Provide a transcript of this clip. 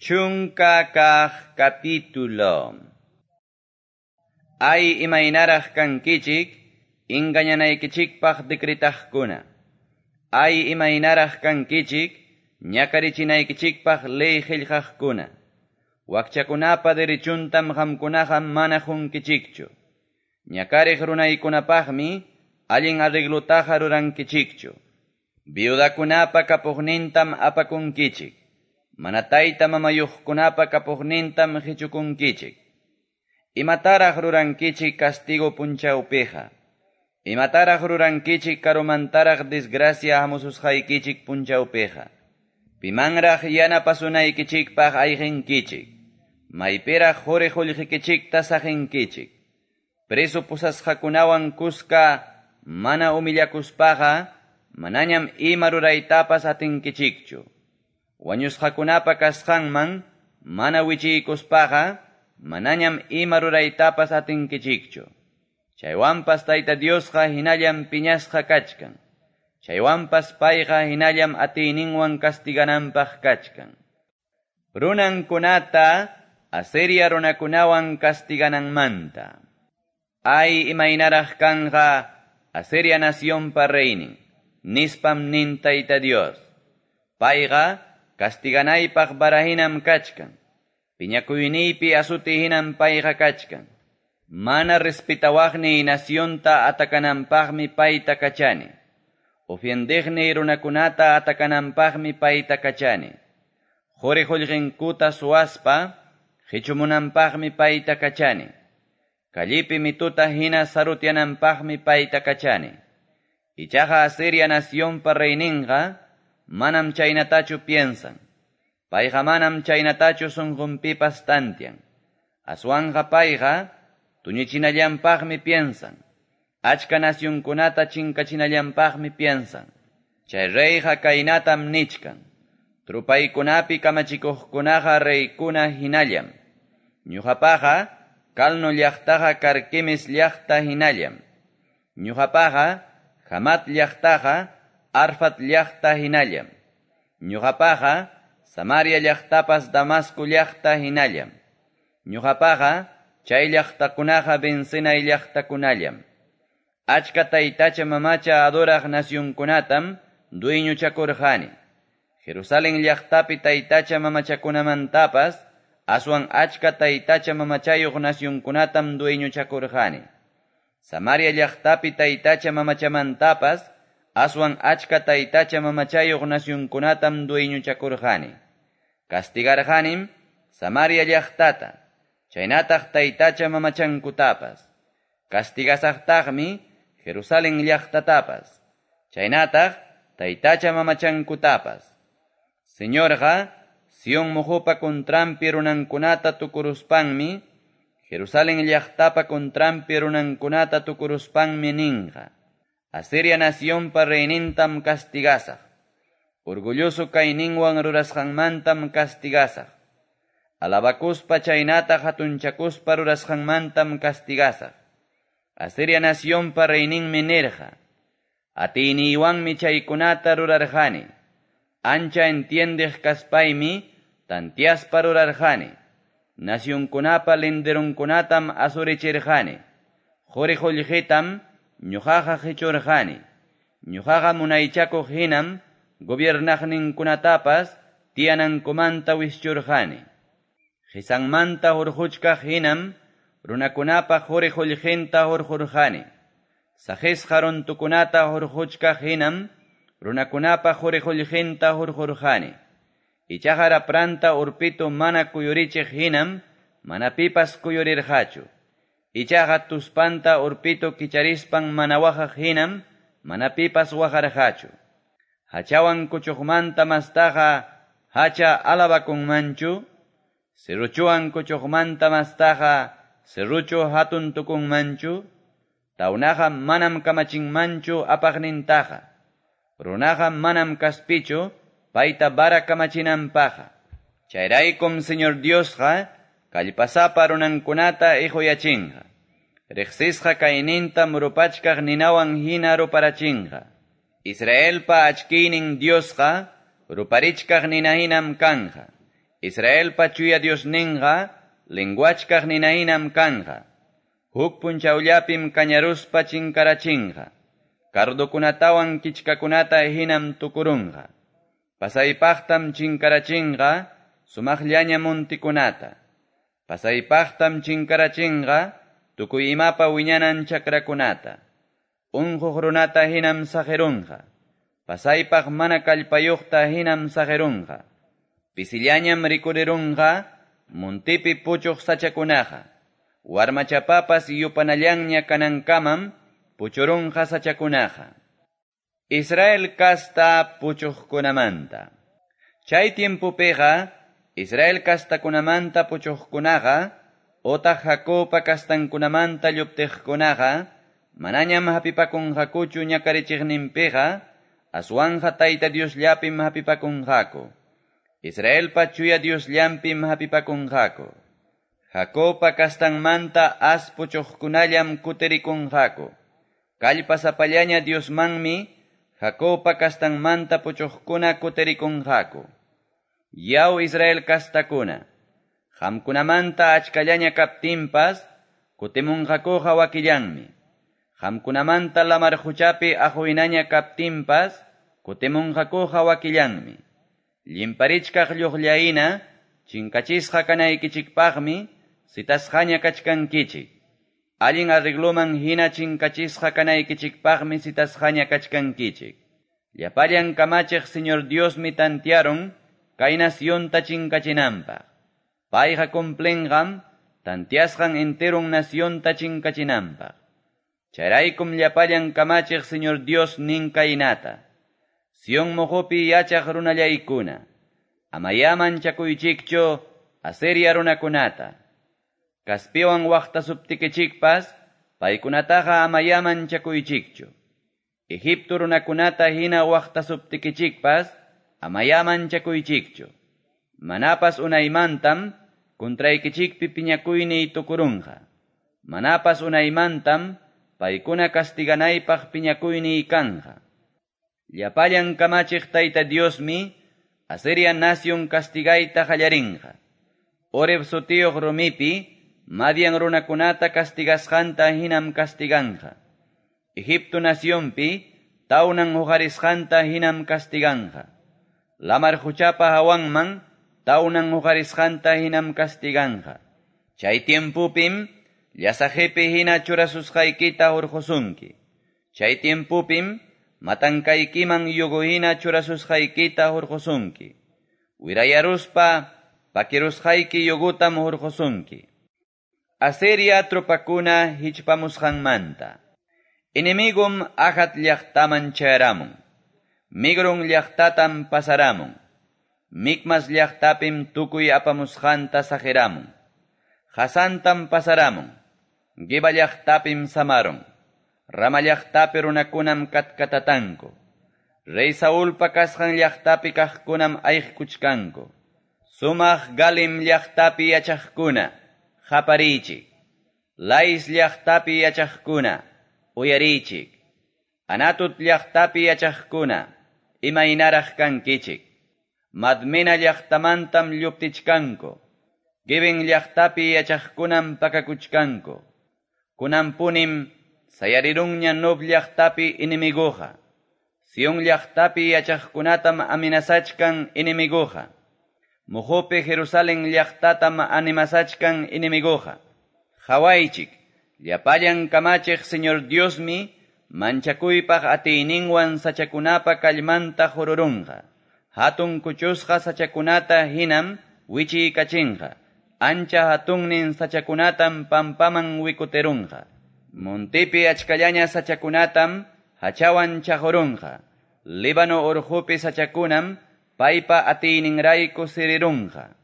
Chunka kaq capítulo. Ay imaynaraq kankichik, engañanaykichikpaq decretaqkuna. Ay imaynaraq kankichik, ñakarichinaykichikpaq ley qillqaqkuna. Wakchakunapa derechuntam qamkunaqa mana qunkichikchu. Ñakariq runaykunapaqmi allin arreglutaqa rurankichikchu. Viudakunapa kapuqnintam apakunkichik. Mana tayta mamayuqkunapa kapuqnintam qichukunkichik. Imataraq rurankichik castigo punchawpiqa. Imataraq rurankichik karumantaraq desgracia hamususqaykichik punchawpiqa. Pimanraq yanapasunaykichikpaq ayqinkichik. Maypiraq quri qullqikichikta saqinkichik. Preso pusasqakunawan kuska mana humillakuspaqa manañam ima ruraytapas atinkichikchu. Wañusqakunapa kasqanman mana wichiykuspaqa manañam ima ruraytapas atinkichikchu. Chaywanpas Tayta Diosqa hinallam piñasqa kachkan. Chaywanpas payqa hinallam atiyninwan castigananpaq kachkan. Runankunata Asiria runakunawan castigananmanta. Ay imaynaraq kanqa Asiria nacionpa reynin, nispam nin Tayta Dios. Payqa castiganaypaq varahinam kachkan. Piñakuyniypi asuti hinam payqa kachkan. Mana respetawaqniy nacionta atakananpaqmi payta kachani. Ofiendeqniy runakunata atakananpaqmi payta kachani. Quri qullqinkuta suwaspa qichumunanpaqmi payta kachani. Kallipi mituta hina sarutyananpaqmi payta kachani. Ichaqa Asiria nacionpa reyninqa manam chaynatachu piensan. Payqa manam chaynatachu sunqunpipas tantian. Aswanqa payqa tuñichinallanpaqmi piensan. Achka nacionkunata chinkachinallanpaqmi piensan. Chay reyqa kaynatam nichkan. Trupaykunapi kamachikuqkunaqa reykuna hinallam. Ñuqapaqa Calno llaqtaqa Carquemis llaqta hinallam. Ñuqapaqa Hamat llaqtaqa Arfat llaqta hinallam. Ñuqapaqa Samaria llaqtapas Damasco llaqta hinallam. Ñuqapaqa chay llaqtakunaqa vencenay llaqtakunallam. Achka taytacha mamacha adoraq nacionkunatam dueñochakurqani. Jerusalén llaqtapi taytacha mamachakunamantapas aswan achka taytacha mamachayuq nacionkunatam dueñochakurqani. Samaria llaqtapi taytacha mamachamantapas aswan achka taytacha mamachayuq nacionkunatam dueñochakurqani. Castigarqanim Samaria llaqtata, chaynataq taytacha mamachankutapas. Castigasaqtaqmi Jerusalén llaqtatapas, chaynataq taytacha mamachankutapas. Señorqa Sion muhupa contranpi runankunata tukuruspanmi, Jerusalén llaqtapa contranpi runankunata tukuruspanmi ninqa. Asiria nacionpa reynintam castigasaq. Orgulloso kayninwan rurasqanmantam castigasaq. Alabakuspa chaynata hatunchakuspa rurasqanmantam castigasaq. Asiria nacionpa reyninmi nirqa. Atiyniywanmi chaykunata rurarqani. Ancha entiendeq kaspaymi tantiaspa rurarqani. Nacionkunapa linderunkunatam asurichirqani. Quri qullqitam ñuqaqa qichurqani. Ñuqaqa munaychakuq hinam gobiernaqninkunatapas tiyanankumanta wischurqani. Qisanmanta hurquchkaq hinam runakunapa quri qullqinta hurqurqani. Saqisqa runtukunata hurquchkaq hinam runakunapa quri qullqinta hurqurqani. Ichaqa rapranta urpitu mana kuyurichiq hinam mana pipas kuyurirqachu. Ichaqa tuspanta urpitu kicharispan mana waqaq hinam mana pipas waqarqachu. Hachawan kuchuqmanta mastaqa hacha alabakunmanchu. Serruchuwan kuchuqmanta mastaqa serruchu hatun tukunmanchu. Tawnaqa manam kamachinmanchu apaqnintaqa. Runaqa manam kaspichu payta vara kamachinanpaqa. Chayraykum Señor Diosqa kallpasapa runankunata iquyachinqa. Riqsisqa kaynintam rupachkaq ninawan hina ruparachinqa. Israelpa achkiynin Diosqa ruparichkaq nina hinam kanja. Israelpa Chuya Diosninqa lenguachkaq ninahinam kanqa. Huk punchawllapim kañaruspa chinkarachinqa. Cardokunatawan kichkakunata hinam tukurunqa. Pasaypaqtam chinkarachinqa sumaqllaña montikunata. Pasaypaqtam chinkarachinqa tukuy imapa wiñanan chakrakunata. Unquq runata hinam saqirunqa. Pasaypaq mana kallpayuqta hinam saqirunqa. Pisillañam rikurirunqa montipi puchuq sachakunaqa. Warmachapapas yupanallanña kanankamam puchurunqa sachakunaqa. Israel kasta puchuqkunamanta. Chay tiempopiqa Israel kastakunamanta puchuqkunaqa otaq Jacobpa kastankunamanta lluptiqkunaqa manañam hapipakunqakuchu ñakarichiqninpiqa aswanja Tayta Diosllapim hapipakunqaku. Israelpa Chuya Diosllampim hapipakunqaku. Jacobpa kastanmanta as puchuqkunallam kutirikunqaku. Kallpasapallaña Diosmanmi Jacobpa kastanmanta puchuqkuna kutirikunqaku. Yaw Israel kastakuna, qamkunamanta achkallaña kaptinpas kutimunqakuqa wakillanmi. Qamkunamanta lamar quchapi aquynaña kaptinpas kutimunqakuqa wakillanmi. Llimparichkaq lluqllayna chinkachisqa kanaykichikpaqmi sitasqaña kachkankichik. Allin arregloman hina chinkachisqa kanaykichikpaqmi sitasqaña kachkankichik. Llapallan kamachiq Señor Diosmi tantiaron kay nacionta chinkachinanpaq. Payqa cumplinqam tantiasqan enteron nacionta chinkachinanpaq. Chayraykum llapallan kamachiq Señor Dios nin kaynata. Sion moqopi yachaq runallaykuna. Amayá manchakuychikchu Asiria runakunata. Kaspiwan waqtasuptikichikpas paykunataqa amayá manchakuychikchu. Egipto runakunata hina waqtasuptikichikpas amayá manchakuychikchu. Manapas unaymantam contraykichikpi piñakuyniy tukurunqa. Manapas unaymantam paykuna castiganaypaq piñakuyniy kanqa. Llapallan kamachiq Tayta Diosmi Asiria nación castigayta qallarinqa. Oreb sutiyuq rumipi Madian runakunata castigasqanta hinam castiganqa. Egipto nacionpi tawnan huqarisqanta hinam castiganqa. Lamar quchapa hawanman tawnan huqarisqanta hinam castiganqa. Chay tiempupim llasaqipi hina churasusqaykita hurqusunki. Chay tiempupim matankaykiman yugo hina churasusqaykita hurqusunki. Wirayaruspa pakirusqayki yugutam hurqusunki. Asiria tropakuna hichpamusqanmanta. Enemigum Ajat llaqtaman chayaramun. Migron llaqtatam pasaramun. Micmas llaqtapim tukuy apamusqanta saqiramun. Hasantam pasaramun. Geba llaqtapim samaron. Rama llaqtapi runakunam katkatatanku. Rey Saulpa kasqan llaqtapi kaqkunam ayqkuchkanku. Sumaq Galim llaqtapi yachaqkuna, qapariychik. Lais llaqtapi yachaqkuna, uyariychik. Anatut llaqtapi yachaqkuna, imaynaraq kankichik. Madmena llaqtamantam lluptichkanku. Geben llaqtapi yachaqkunam pakakuchkanku. Kunanpunim sayarirunña Nob llaqtapi enemiguqa. Sion llaqtapi yachaqkunatam amenazachkan enemiguqa. Mojope Jerusalén llaqtatam animasachkan enemiguqa. Qhawaychik, llapallan kamachiq Señor Diosmi manchakuypaq atiyninwan sachakunapa kallmanta hururunqa. Hatun kuchusqa sachakunata hinam wichiykachinqa. Ancha hatunnin sachakunatam pampaman wikuterunqa. Montipi achkallaña sachakunatam hachawan chaqurunqa. Líbano urqupi sachakunam paypa atiyninrayku sirirunqa.